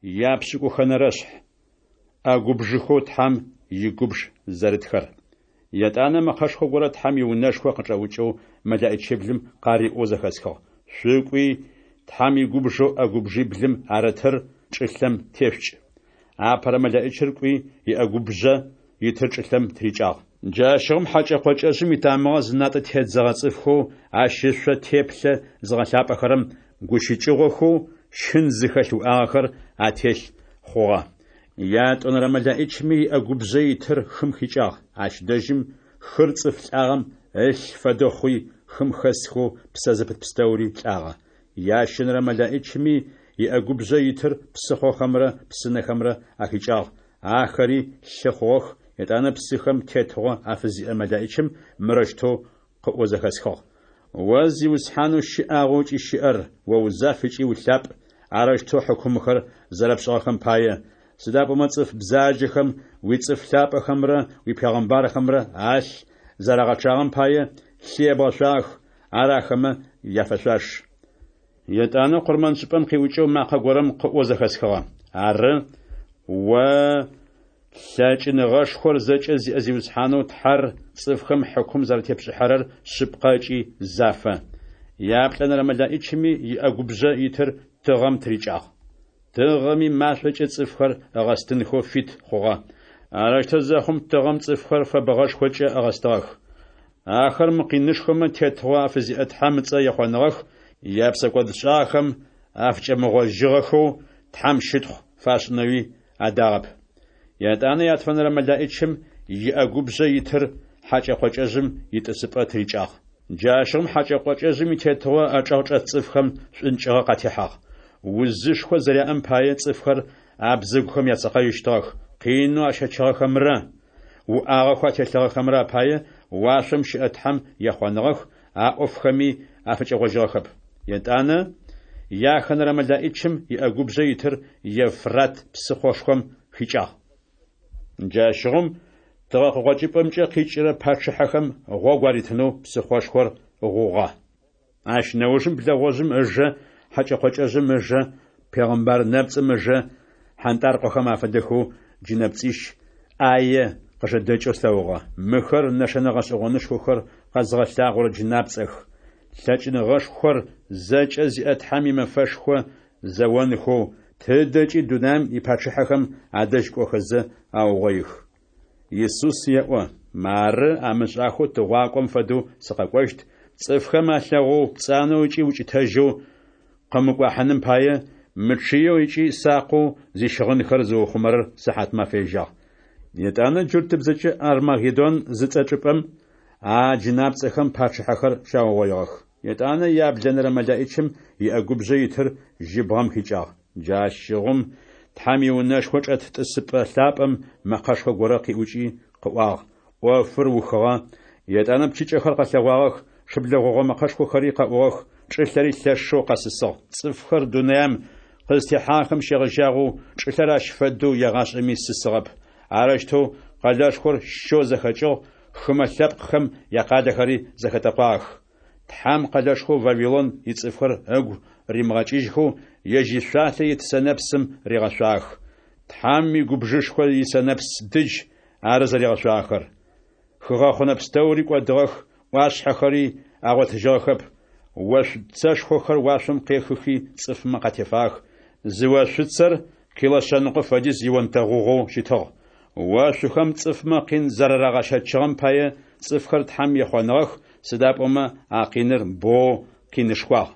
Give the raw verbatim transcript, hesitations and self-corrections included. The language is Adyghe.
Япшӏыкӏухэнэрэшъхь, ӏэгубжъэхэу Тхьэм игубж зэрытхэр. Етӏанэ мэкъэшхо горэ Тхьэм иунэшхо къычӏэӏукӏэу мэлэӏичиблым къариӏоу зэхэсхыгъ: «Шъукӏуи, Тхьэм игубжэу ӏэгубжъиблым арытыр чӏылъэм тешъукӏ!» Апэрэ мэлэӏичыр кӏуи, иӏэгубжъэ итыр чӏылъэм тырикӏагъ. Джащыгъум хьэкӏэ-къокӏэжъым итамыгъэ зынатӏэ тедзэгъэ цӏыфхэу ащ ышъо теплъэ зыгъэлъапӏэхэрэм гущыкӏыгъохэу щын зыхэлъ уӏагъэхэр ателъ хъугъэ. Ятӏонэрэ мэлэӏичыми иӏэгубжъэ итыр хым хикӏагъ. Ащ дэжьым хыр цӏыф лӏагъэм ылъ фэдэу хъуи, хым хэсхэу псэ зыпыт пстэури лӏагъэ. Ящэнэрэ мэлэӏичыми иӏэгубжъэ итыр псыхъохэмрэ псынэхэмрэ ахикӏагъ, ахэри лъы хъугъэх. Етӏанэ псыхэм тетыгъо афызиӏэ мэлэӏичым мырэущтэу къыӏоу зэхэсхыгъ: «О Зиусхьанэу щыӏагъэу ыкӏи щыӏэр, о узаф ыкӏи улъапӏ, арэущтэу хьыкумхэр зэрэпшӏыгъэхэм пае, сыда пӏомэ цӏыф бзаджэхэм уицӏыф лъапӏэхэмрэ уипегъэмбархэмрэ алъ зэрагъэчъагъэм пае лъы ебгъэшъуагъэх, ар ахэмэ яфэшъуаш». Етӏанэ къурмэншӏыпӏэм къиӏукӏэу макъэ горэм къыӏоу зэхэсхыгъэ: «Ары, о лъэкӏыныгъэшхор зэкӏэ зиӏэ Зиусхьанэу Тхьэр, цӏыфхэм хьыкум зэратепшӏыхьэрэр шъыпкъэ ыкӏи зафэ». Яплӏэнэрэ мэлэӏичыми иӏэгубжъэ итыр тыгъэм тырикӏагъ. Тыгъэми машӏокӏэ цӏыфхэр ыгъэстынхэу фит хъугъэ. Арэущтэу зэхъум, тыгъэм цӏыфхэр фэбэгъэшхокӏэ ыгъэстыгъэх. Ахэр мы къинышхомэ тетыгъо афызиӏэ Тхьэм ыцӏэ ехъоныгъэх, япсэкӏодшӏагъэхэм афыкӏэмыгъожьыгъэхэу Тхьэм щытхъу фашӏынэуи адагъэп. Етӏанэ ятфэнэрэ мэлэӏичым иӏэгубжъэ итыр хьэкӏэ-къокӏэжъым итӏысыпӏэ тырикӏагъ. Джащыгъум хьэкӏэ-къокӏэжъым итетыгъо ычӏэгъ чӏэт цӏыфхэм шӏункӏыгъэ къатехьагъ. Узышхо зэряӏэм пае цӏыфхэр абзэгухэм яцэкъэжьыщтыгъэх, къинэу ащэчыгъэхэмрэ уӏагъэхэу ателъыгъэхэмрэ апае уашъом щыӏэ Тхьэм ехъоныгъэх, а ӏофхэми афыкӏэгъожьыгъэхэп. Етӏанэ яхэнэрэ мэлэӏичым иӏэгубжъэ итыр Евфрат псыхъошхом хикӏагъ. Джащыгъум тыгъэ къыкъокӏыпӏэмкӏэ къикӏырэ пачъыхьэхэм гъогу аритынэу псыхъошхор гъугъэ. Ащ нэужым блэгъожъым ыжэ, хьэкӏэ-къокӏэжъым ыжэ, пегъэмбар нэпцӏым ыжэ хьантӏаркъохэм афэдэхэу джынэпцӏищ ӏае къыжэдэкӏэу слъэгъугъэ. Мыхэр нэшэнэ гъэшӏэгъонышхохэр къэзыгъэлъагъорэ джынапцӏэх. Лъэкӏыныгъэшхор зэкӏэ зиӏэ Тхьэм имэфэшхо зэонхэу тыдэкӏи дунаим ипачъыхьэхэм адэжь кӏохэзэ аугъоих. Исус еӏо: «Мары, амышӏахэу тыгъуакӏом фэдэу сыкъэкӏощт, цӏыфхэм алъэгъоу пцӏанэу ыкӏи укӏытэжьэу къымыкӏуахьыным пае, мычъыеу ыкӏи сакъэу зищыгъынхэр зыухъумэрэр сыхьатмафэ ежьагъ». Етӏанэ джуртыбзэкӏэ Армагеддон зыцӏэ чӏыпӏэм а джынапцӏэхэм пачъыхьэхэр щаугъоигъэх. Етӏанэ яблэнэрэ мэлэӏичым иӏэгубжъэ итыр жьыбгъэм хикӏагъ. Джащыгъум Тхьэм иунэшхо чӏэт тӏысыпӏэ лъапӏэм мэкъэшхо горэ къиӏукӏи къыӏуагъ: «ӏофыр ухыгъэ!» Етӏанэ пчыкӏэхэр къэлъэгъуагъэх, шыблэ гъогъо мэкъэшхохэри къэӏугъэх, чӏылъэри лъэшэу къэсысыгъ. Цӏыфхэр дунаим къызтехьагъэхэм щегъэжьагъэу чӏылъэр ащ фэдэу егъашӏэми сысыгъэп. Арэущтэу къэлэшхор щэу зэхэкӏыгъ, хымэ лъэпкъхэм якъалэхэри зэхэтэкъуагъэх. Тхьэм къэлэшхоу Вавилон ицӏыфхэр ыгу римыгъэкӏыжьхэу ежь ишъуалъэ ит сэнэпсым ригъэшъуагъэх. Тхьэм игубжышхо исэнэпс дыдж ары зэригъэшъуагъэхэр. Хыгъэхъунэ пстэури кӏодыгъэх, ӏуашъхьэхэри агъотыжьыгъэхэп. Ошъуцэшхохэр уашъом къехыхи цӏыфмэ къатефагъэх. Зы ошъуцэр кило шъэныкъо фэдиз ионтэгъугъэу щытыгъ. Ошъухэм цӏыфмэ къин зэрарагъэщэчыгъэм пае цӏыфхэр Тхьэм ехъоныгъэх, сыда пӏомэ а къиныр боу къинышхуагъ.